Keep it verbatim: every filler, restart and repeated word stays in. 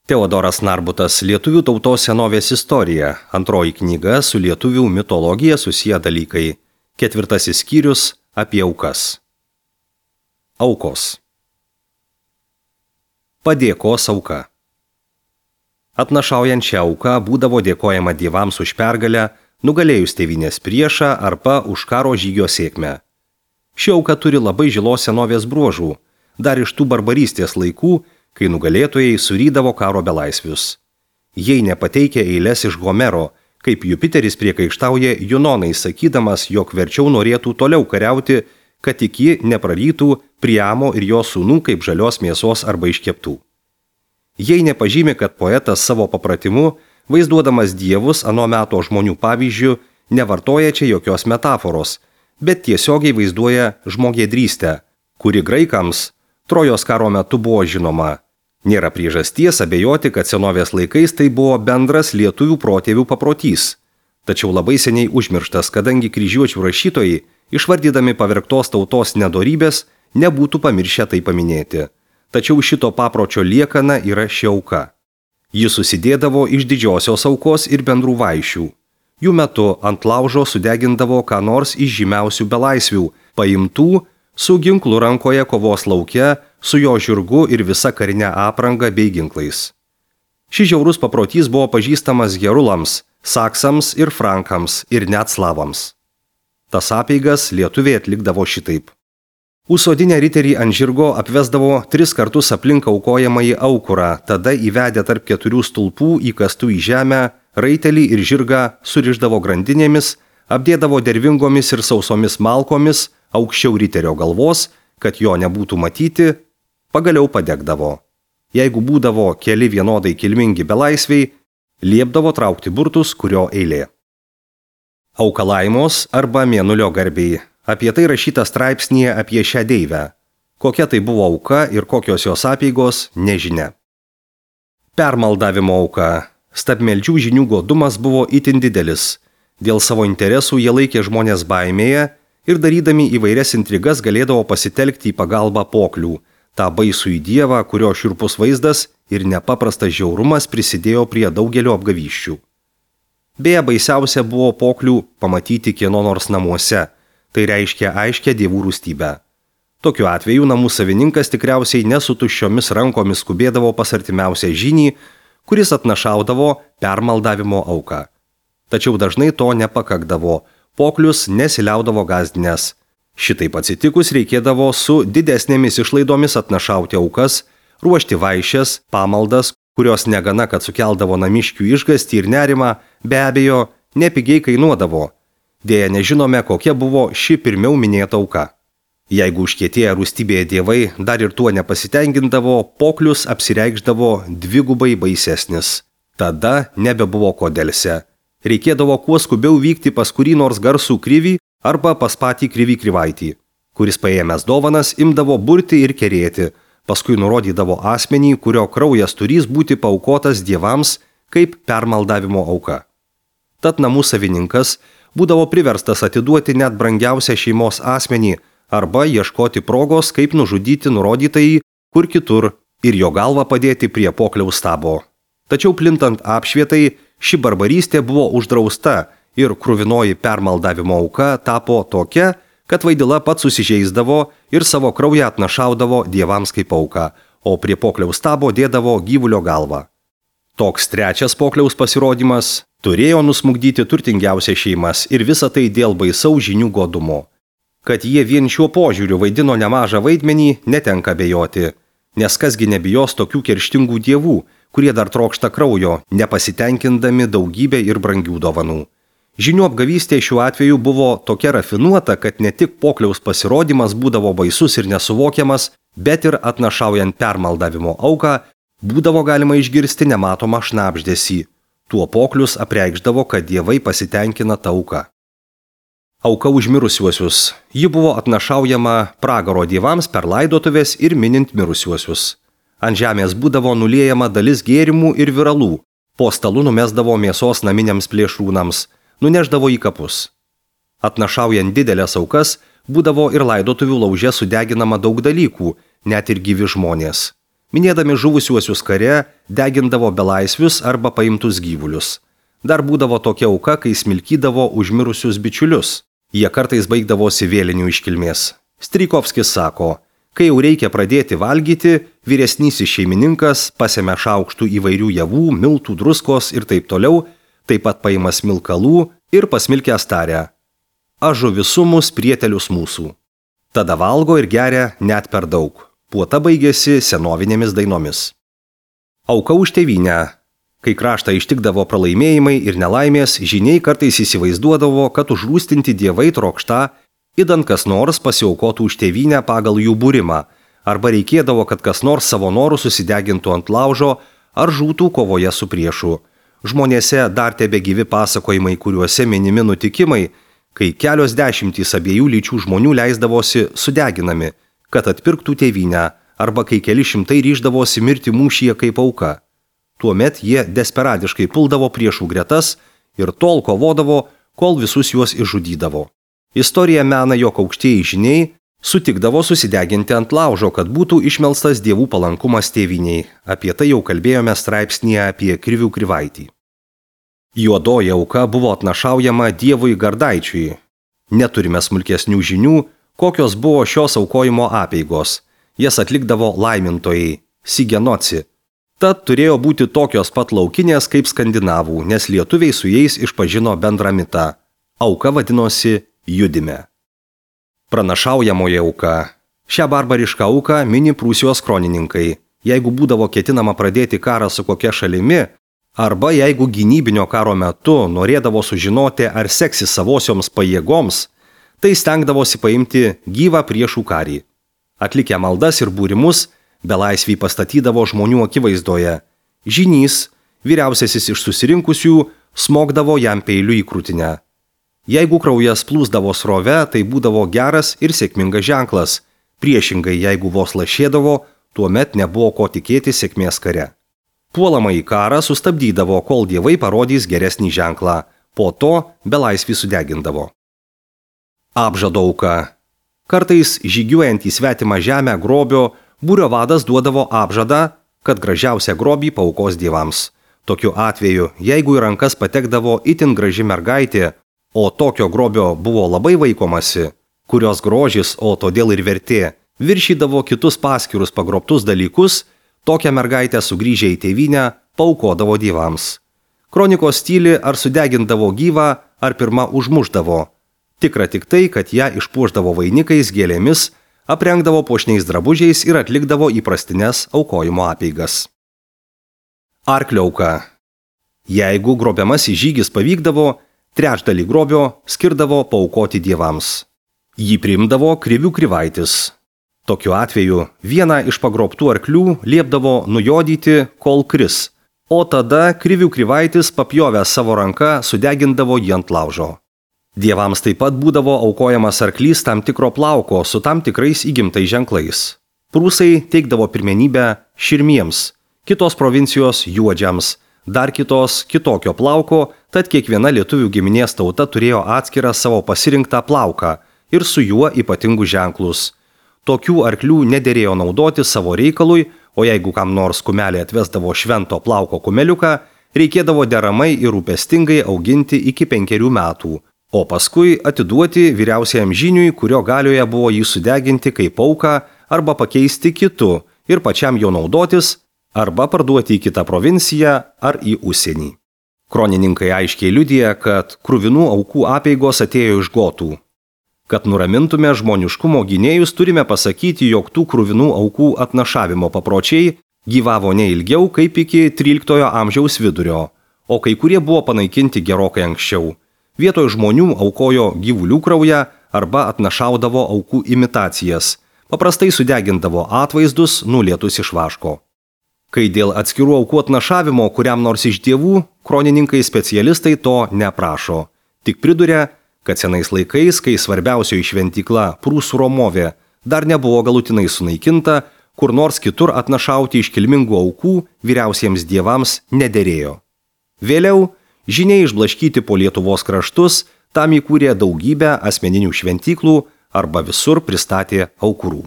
Teodoras Narbutas Lietuvių tautos senovės istorija, antroji knyga su lietuvių mitologija susiję dalykai, ketvirtasis skyrius apie aukas. Aukos. Padėkos auka. Atnašaujant šią auką būdavo dėkojama dievams už pergalę, nugalėjus tėvynės priešą arba už karo žygio sėkmę. Ši auka turi labai žilos senovės bruožų, dar iš tų barbarystės laikų, kai nugalėtojai surydavo karo belaisvius. Jei nepateikia eilės iš Homero, kaip Jupiteris priekaištauja Junonai, sakydamas, jog verčiau norėtų toliau kariauti, kad tik ji neprarytų Priamo ir jo sūnų kaip žalios mėsos arba iškeptų. Jei nepažymi, kad poetas savo papratimu, vaizduodamas dievus ano meto žmonių pavyzdžių, nevartoja čia jokios metaforos, bet tiesiogiai vaizduoja žmogėdrystę, kuri graikams Trojos karo metu buvo žinoma. Nėra priežasties abejoti, kad senovės laikais tai buvo bendras lietuvių protėvių paprotys. Tačiau labai seniai užmirštas, kadangi kryžiuočių rašytojai, išvardydami pavergtos tautos nedorybės, nebūtų pamiršę tai paminėti. Tačiau šito papročio liekana yra ši auka. Ji susidėdavo iš didžiosios aukos ir bendrų vaišių. Jų metu ant laužo sudegindavo ką nors iš žymiausių belaisvių, paimtų su ginklu rankoje kovos lauke, su jo žirgu ir visa karinė apranga bei ginklais. Šis žiaurus paprotys buvo pažįstamas gerulams, saksams ir frankams ir net slavams. Tas apeigas lietuviai atlikdavo šitaip. Užsodinę riterį ant žirgo apvesdavo tris kartus aplink aukojamąjį aukurą, tada įvedę tarp keturių stulpų įkastų į žemę, raitelį ir žirgą surišdavo grandinėmis, apdėdavo dervingomis ir sausomis malkomis aukščiau riterio galvos, kad jo nebūtų matyti, pagaliau padegdavo. Jeigu būdavo keli vienodai kilmingi belaisviai, liepdavo traukti burtus, kurio eilė. Aukalaimos arba mėnulio garbiai. Apie tai rašyta straipsnyje apie šią deivę. Kokia tai buvo auka ir kokios jos apeigos, nežinia. Permaldavimo auka. Stabmeldžių žinių godumas buvo itin didelis. Dėl savo interesų jie laikė žmonės baimėje ir darydami įvairias intrigas galėdavo pasitelkti į pagalbą poklių, tą baisų į dievą, kurio šiurpus vaizdas ir nepaprastas žiaurumas prisidėjo prie daugelio apgavysčių. Beje, baisiausia buvo poklių pamatyti kieno nors namuose, tai reiškia aiškę dievų rūstybę. Tokiu atveju namų savininkas tikriausiai nesu tuščiomis rankomis skubėdavo pas artimiausią žynį, kuris atnašaudavo permaldavimo auką. Tačiau dažnai to nepakakdavo, poklius nesiliaudavo gazdinės. Šitaip atsitikus reikėdavo su didesnėmis išlaidomis atnašauti aukas, ruošti vaišes, pamaldas, kurios negana, kad sukeldavo namiškių išgąstį ir nerimą, be abejo, nepigiai kainuodavo. Dėja nežinome, kokia buvo ši pirmiau minėta auka. Jeigu užkietėję rūstybėje dievai dar ir tuo nepasitenkindavo, poklius apsireikšdavo dvigubai baisesnis. Tada nebebuvo ko delse. Reikėdavo kuo skubiau vykti pas kurį nors garsų krivį arba pas patį krivį krivaitį, kuris paėmęs dovanas imdavo burti ir kerėti, paskui nurodydavo asmenį, kurio kraujas turys būti paaukotas dievams kaip permaldavimo auka. Tad namų savininkas būdavo priverstas atiduoti net brangiausią šeimos asmenį arba ieškoti progos, kaip nužudyti nurodytąjį kur kitur ir jo galvą padėti prie pokliaus stabo. Tačiau plintant apšvietai, ši barbarystė buvo uždrausta ir kruvinoji permaldavimo auka tapo tokia, kad vaidila pats susižeisdavo ir savo kraują atnašaudavo dievams kaip auką, o prie pokliaus stabo dėdavo gyvulio galvą. Toks trečias pokliaus pasirodymas turėjo nusmukdyti turtingiausias šeimas ir visa tai dėl baisaus žinių godumo. Kad jie vien šiuo požiūriu vaidino nemažą vaidmenį, netenka abejoti, nes kasgi nebijos tokių kerštingų dievų, kurie dar trokšta kraujo, nepasitenkindami daugybę ir brangių dovanų. Žinių apgavystė šiuo atveju buvo tokia rafinuota, kad ne tik pokliaus pasirodymas būdavo baisus ir nesuvokiamas, bet ir atnašaujant permaldavimo auką būdavo galima išgirsti nematomą šnabždesį. Tuo poklius apreikšdavo, kad dievai pasitenkina tą auką. Auka už mirusiuosius. Ji buvo atnašaujama pragaro dievams per laidotuvės ir minint mirusiuosius. Ant žemės būdavo nuliejama dalis gėrimų ir viralų, po stalu numesdavo mėsos naminiams plėšrūnams, nuneždavo į kapus. Atnašaujant didelės aukas, būdavo ir laidotuvių lauže sudeginama daug dalykų, net ir gyvi žmonės. Minėdami žuvusiuosius kare, degindavo belaisvius arba paimtus gyvulius. Dar būdavo tokia auka, kai smilkydavo užmirusius bičiulius. Jie kartais baigdavosi vėlinių iškilmės. Strijkovskis sako, kai jau reikia pradėti valgyti, vyresnysis šeimininkas pasėmė šaukštų įvairių javų, miltų, druskos ir taip toliau, taip pat paima smilkalų ir pasmilkęs taria: aš žuvisumus prietelius mūsų. Tada valgo ir geria net per daug. Puota baigėsi senovinėmis dainomis. Auka už tėvynę. Kai kraštą ištikdavo pralaimėjimai ir nelaimės, žyniai kartais įsivaizduodavo, kad užrūstinti dievai trokšta, idant kas nors pasiaukotų už tėvynę pagal jų būrimą, arba reikėdavo, kad kas nors savo norų susidegintų ant laužo ar žūtų kovoje su priešu. Žmonėse dar tebegyvi pasakojimai, kuriuose minimi nutikimai, kai kelios dešimtys abiejų lyčių žmonių leisdavosi sudeginami, kad atpirktų tėvynę, arba kai keli šimtai ryždavosi mirti mūšyje kaip auka. Tuomet jie desperadiškai puldavo priešų gretas ir tol kovodavo, kol visus juos išžudydavo. Istorija mena, jog aukštieji žyniai sutikdavo susideginti ant laužo, kad būtų išmelstas dievų palankumas tėvyniai. Apie tai jau kalbėjome straipsnyje apie Krivių Krivaitį. Juodoji auka buvo atnašaujama dievui Gardaičiui. Neturime smulkesnių žinių, kokios buvo šios aukojimo apeigos. Jas atlikdavo laimintojai, sigenoci. Tad turėjo būti tokios pat laukinės kaip skandinavų, nes lietuviai su jais išpažino bendrą mitą. Auka vadinosi judime. Pranašaujamoji auka. Šią barbarišką auką mini Prūsijos kronininkai. Jeigu būdavo ketinama pradėti karą su kokia šalimi, arba jeigu gynybinio karo metu norėdavo sužinoti, ar seksis savosioms pajėgoms, tai stengdavosi paimti gyvą priešų karį. Atlikę maldas ir būrimus, belaisvį pastatydavo žmonių akivaizdoje. Žynys, vyriausiasis iš susirinkusių, smogdavo jam peiliu į krūtinę. Jeigu kraujas plūsdavo srove, tai būdavo geras ir sėkmingas ženklas. Priešingai, jeigu vos lašėdavo, tuomet nebuvo ko tikėti sėkmės kare. Puolamąjį karą sustabdydavo, kol dievai parodys geresnį ženklą. Po to belaisvį sudegindavo. Apžado auka. Kartais žygiuojant į svetimą žemę grobio, būrio vadas duodavo apžadą, kad gražiausią grobį paaukos dievams. Tokiu atveju, jeigu į rankas patekdavo itin graži mergaitė, o tokio grobio buvo labai vaikomasi, kurios grožis, o todėl ir vertė, viršydavo kitus paskirus pagrobtus dalykus, tokią mergaitę sugrįžę į tėvynę paaukodavo dievams. Kronikos tyli, ar sudegindavo gyvą, ar pirma užmuždavo. Tikra tik tai, kad ją išpuošdavo vainikais, gėlėmis, aprengdavo puošniais drabužiais ir atlikdavo įprastines aukojimo apeigas. Arklio auka. Jeigu grobiamasis žygis pavykdavo, trečdalį grobio skirdavo paaukoti dievams. Jį priimdavo Krivių Krivaitis. Tokiu atveju vieną iš pagrobtų arklių liepdavo nujodyti, kol kris, o tada Krivių Krivaitis papjovęs savo ranką sudegindavo jį ant laužo. Dievams taip pat būdavo aukojamas arklys tam tikro plauko su tam tikrais įgimtais ženklais. Prūsai teikdavo pirmenybę širmiems, kitos provincijos juodžiams, dar kitos kitokio plauko, tad kiekviena lietuvių giminės tauta turėjo atskirą savo pasirinktą plauką ir su juo ypatingus ženklus. Tokių arklių nederėjo naudoti savo reikalui, o jeigu kam nors kumelė atvesdavo švento plauko kumeliuką, reikėdavo deramai ir rūpestingai auginti iki penkerių metų, o paskui atiduoti vyriausiajam žyniui, kurio galioje buvo jį sudeginti kaip auką arba pakeisti kitu ir pačiam jo naudotis, arba parduoti į kitą provinciją ar į užsienį. Kronininkai aiškiai liudija, kad kruvinų aukų apeigos atėjo iš gotų. Kad nuramintume žmoniškumo gynėjus, turime pasakyti, jog tų kruvinų aukų atnašavimo papročiai gyvavo ne ilgiau kaip iki tryliktojo amžiaus vidurio, o kai kurie buvo panaikinti gerokai anksčiau. Vietoj žmonių aukojo gyvulių kraują arba atnašaudavo aukų imitacijas, paprastai sudegindavo atvaizdus nulietus iš vaško. Kai dėl atskirų aukų atnašavimo kuriam nors iš dievų, kronininkai specialistai to neprašo. Tik priduria, kad senais laikais, kai svarbiausioji šventykla Prūsų Romovė dar nebuvo galutinai sunaikinta, kur nors kitur atnašauti iškilmingų aukų vyriausiems dievams nederėjo. Vėliau, žyniai išblaškyti po Lietuvos kraštus, tam įkūrė daugybę asmeninių šventyklų arba visur pristatė aukurų.